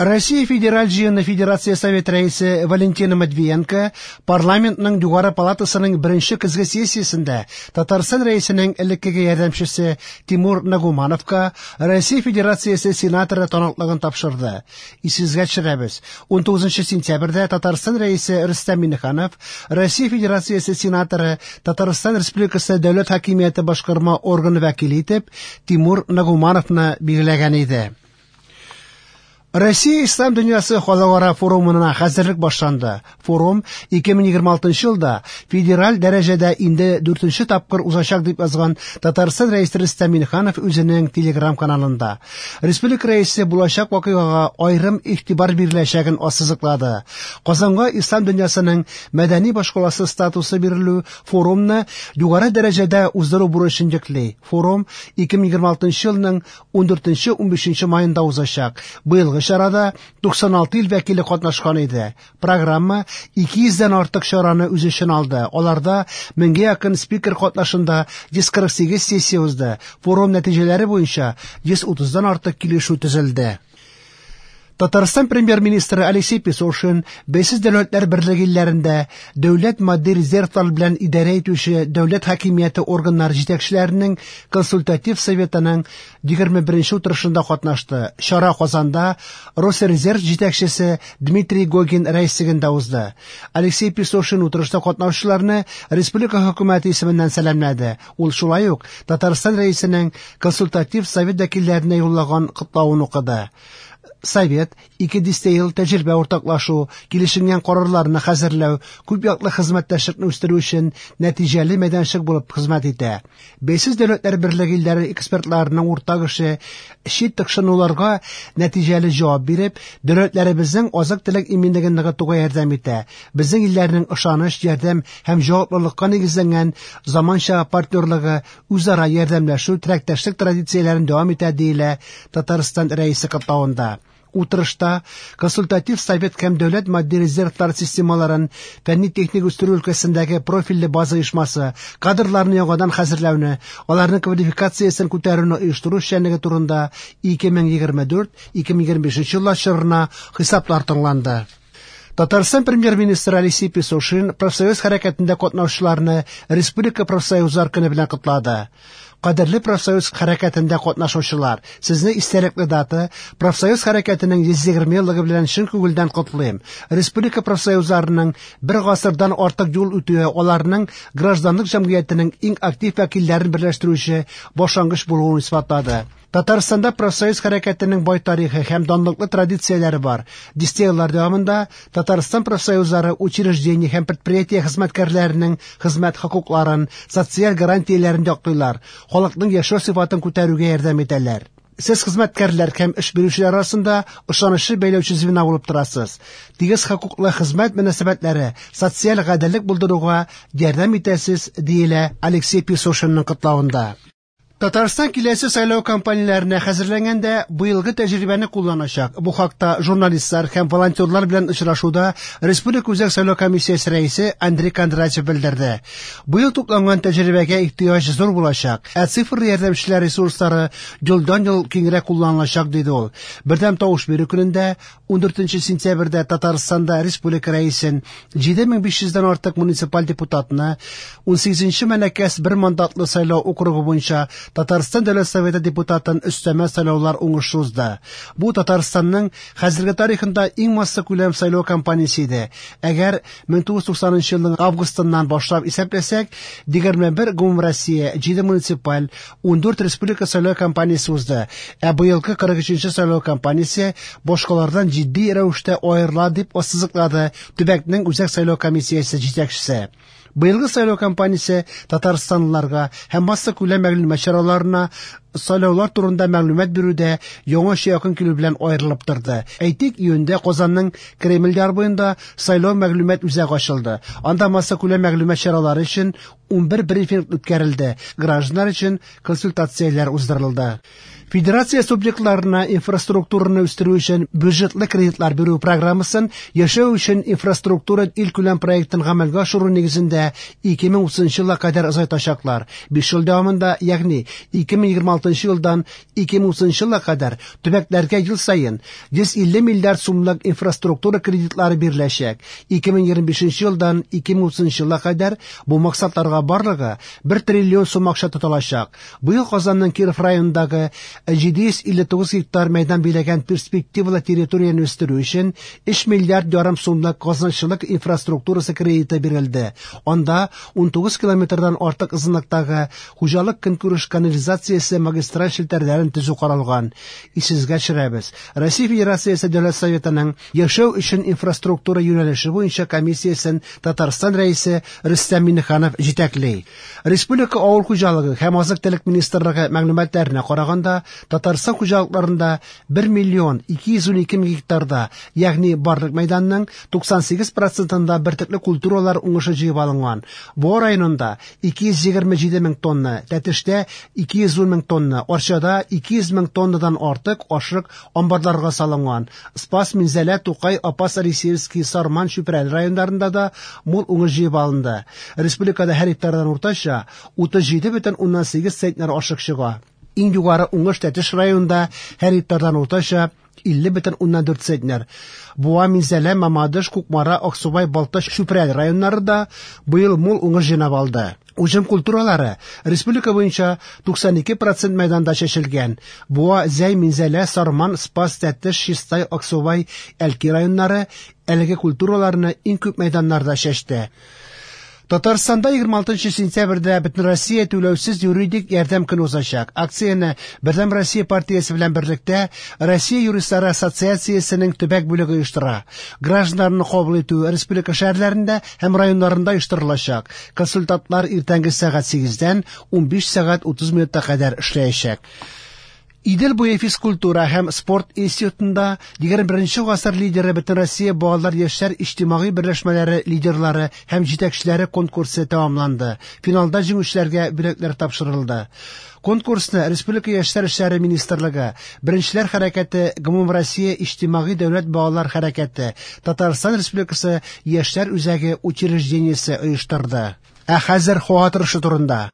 Россия Федераль җыены Федерация Совет рәисе Валентина Матвиенко парламентның югары палатасының беренче көзге сессиясендә Татарстан рәисенең элеккеге ярдәмчесе Тимур Нагумановка Россия Федерациясе сенаторы таныклыгын тапшырды. Исегезгә төшерәбез, 19 сентябрьдә Татарстан рәисе Рөстәм Миңнеханов Россия Федерациясе сенаторы, Татарстан Республикасы дәүләт хакимияте башкарма органы вәкиле итеп Тимур Нагумановны билгеләгән иде. Россия Ислам дөньясы халыкара форумына хәзерлек башланды. Форум 2026 елда федераль дәрәҗәдә инде 4 тапкыр узачак дип язган Татарстан рәисе Рөстәм Миңнеханов үзенең Телеграм каналында. Республика рәисе булачак вакыйгага аерым игътибар биреләчәген ассызыклады. Казанга Ислам дөньясының мәдәни башкаласы статусы бирелү форумны югары дәрәҗәдә уздыру бурычын йөкли. Форум 2026 елның 14-15 маенда узачак. Быелгы чарада 96 ил вәкиле катнашкан иде. Программа 200дән артык чараны үз эченә алды. Аларда меңгә якын спикер катнашында 148 сессия узды. Форум нәтиҗәләре буенча 130дан артык килешү төзелде. Татарстан премьер-министры Алексей Песошин Бәйсез дәүләтләр берлеге илләрендә дәүләт матди резервлар белән идарә итүче дәүләт хакимияте органнары җитәкчеләренең консультатив советының 21 утырышында катнашты. Чара Казанда Росрезерв җитәкчесе Дмитрий Гогин рәислегендә узды. Алексей Песошин утырышта катнашучыларны республика хөкүмәте исеменнән сәламләде. Ул шулай ук Татарстан рәисенең консультатив совет вәкилләренә юллаган котлавын укыды. Совет ике дистә ел тәҗрибә уртаклашу, килешенгән карарларны хәзерләү, күп яклы хезмәттәшлекне үстерү өчен нәтиҗәле мәйданчык булып хезмәт итә. Бәйсез дәүләтләр берлеге илләре экспертларының уртак эше чит тыкшынуларга нәтиҗәле җавап биреп, дәүләтләребезнең азык-төлек иминлеген ныгытуга ярдәм итә. Безнең илләрнең ышаныч, ярдәм һәм җаваплылыкка нигезләнгән заманча партнерлыгы үзара ярдәмләшү, теләктәшлек традицияләрен дәвам итә, диелә Татарстан рәисе котлавында. Утырышта консультатив совет һәм дәүләт матди резервлар системаларын фәнни-техник үстерү өлкәсендәге профильле база оешмасы кадрларны яңадан хәзерләүне, аларның квалификациясен күтәрүне оештыру эшчәнлеге турында 2024-2025 еллар чорына хисаплар тыңланды. Татарстан премьер-министры Алексей Песошин профсоюз хәрәкәтендә катнашучыларны Республика профсоюзлар көне белән котлады. Кадерле профсоюз хәрәкәтендә катнашучылар, сезне истәлекле дата профсоюз хәрәкәтенең 120 еллыгы белән чын күңелдән котлыйм. Республика профсоюзларының бер гасырдан артык юл үтүе аларның гражданлык җәмгыятенең иң актив вәкилләрен берләштерүче башлангыч булуын исбатлады. Татарстанда профсоюз хәрәкәтенең бай тарихы һәм данлыклы традицияләре бар. Дистә еллар дәвамында Татарстан профсоюзлары учреждение һәм предприятие хезмәткәрләренең хезмәт хокукларын, социаль гарантияләрен яклыйлар, халыкның яшәү сыйфатын күтәрүгә ярдәм итәләр. Сез хезмәткәрләр һәм эш бирүчеләр арасында ышанычлы бәйләүче звено булып торасыз. Тигез хокуклы хезмәт мөнәсәбәтләре социаль гаделлек булдыруга ярдәм итәсез, диелә Алексей Песошинның котлавында. Татарстан киләсе сайлау кампанияләренә хәзерләнгәндә быелгы тәҗрибәне кулланачак. Бу хакта журналистлар һәм волонтерлар белән очрашуда Республика Үзәк сайлау комиссиясе рәисе Андрей Кондратьев белдерде. Быел тупланган тәҗрибәгә ихтыяҗ зур булачак, ә цифрлы ярдәмчеләр ресурслары елдан-ел киңрәк кулланылачак, диде ул. Бердәм тавыш бирү көнендә 14 сентябрьдә Татарстанда республика рәисен 7500дән артык муниципаль депутатны 18 Мәләкәс бер мандатлы сайлау округы буенча Татарстан Дәүләт Советы депутатын өстәмә сайлаулар уңышлы узды. Бу Татарстанның хәзерге тарихында иң массакүләм сайлау кампаниясе иде. Әгәр 1990 елның августыннан башлап исәпләсәк, 21 гомумроссия, 7 муниципаль, 14 республика сайлау кампаниясе узды. Ә быелгы 43 сайлау кампаниясе башкалардан җитди рәвештә аерыла, дип ассызыклады төбәкнең Үзәк сайлау комиссиясе җитәкчесе. Быелгы сайлау кампаниясе татарстанлыларга һәм массакүләм мәгълүмат чараларына сайлаулар турында мәгълүмат бирүдә яңача якын килү белән аерылып торды. Әйтик, июньдә Казанның Кремль яр буенда сайлау мәгълүмат үзәге ачылды. Анда массакүләм мәгълүмат чаралары өчен 11 брифинг үткәрелде, гражданнар өчен консультацияләр уздырылды. Федерация субъектларына инфраструктураны үстерү өчен бюджетлы кредитлар бирү программасын яшәү өчен инфраструктура илкүләм проектын гамәлгә ашыру нигезендә 2030 елга кадәр озайтачаклар. 5 ел дәвамында, ягъни 2026 2026 елдан 2030 елга кадәр төбәкләргә ел саен 150 миллиард сумлык инфраструктура кредитлары биреләчәк. 2025 елдан 2030 елга кадәр бу максатларга барлыгы 1 триллион сум акча тотылачак. Быел Казанның Киров районындагы 759 гектар мәйдан биләгән перспективалы территорияне үстерү өчен 3 миллиард ярым сумлык казначылык инфраструктурасы кредиты бирелде. Анда 19 километрдан артык озынлыктагы хуҗалык көнкүреш канализациясе магистраль челтәрләрен төзү каралган. Исегезгә төшерәбез, Россия Федерациясе Дәүләт Советының яшәү өчен инфраструктура юнәлеше буенча комиссиясен Татарстан Рәисе Рөстәм Миңнеханов җитәкли. Республика авыл хуҗалыгы һәм азык-төлек министрлыгы мәгълүматларына караганда, Татарстан хуҗалыкларында 1 миллион 212 мең гектарда, ягъни барлык мәйданның 98 процентында бөртекле культуралар уңышы җыеп алынган. Буа районында 227 мең тонна, Тәтештә 210 мең тонна, Арчада 200 мең тоннадан артык ашык амбарларга салынган. Спас, Минзәлә, Тукай, Апас, Алексеевский, Сарман, Чүпрәле районнарында да мул уңыш җыеп алынды. Республикада һәр гектардан уртача 37,8 центнер ашык чыга. Иң югары уңыш Тәтеш районында һәр гектардан уртача 50,4 центнер. Буа, Минзәлә, Мамадыш, Кукмара, Аксубай, Балтач, Чүпрәле районнары да быел мул уңыш җыйнап алды. Уҗым культуралары республика буенча 92% мәйданда чәчелгән. Буа, Зәй, Минзәлә, Сарман, Спас, Тәтеш, Чистай, Аксубай, Әлки районнары әлеге культураларны иң күп мәйданнарда чәчте. Татарстанда 26 сентябрьдә Бөтенроссия түләүсез юридик ярдәм көне узачак. Акцияне Бердәм Россия партиясе белән берлектә Россия юристлары ассоциациясенең төбәк бүлеге оештыра. Гражданнарны кабул итү республика шәһәрләрендә һәм районнарында оештырылачак. Консультантлар иртәнге сәгать 8-дән 15 сәгать 30 минутка кадәр эшләячәк. Идел буе физкультура һәм спорт институтында 21 гасыр лидеры Бөтенроссия балалар яшьләр иҗтимагый берләшмәләре лидерлары һәм җитәкчеләре конкурсы тәмамланды. Финалда җиңүчеләргә бүләкләр тапшырылды. Конкурсны Республика яшьләр эшләре министрлыгы, Беренчеләр хәрәкәте Гомумроссия иҗтимагый дәүләт балалар хәрәкәте, Татарстан Республикасы яшьләр үзәге учреждениесе оештырды. Ә хәзер һава торышы турында.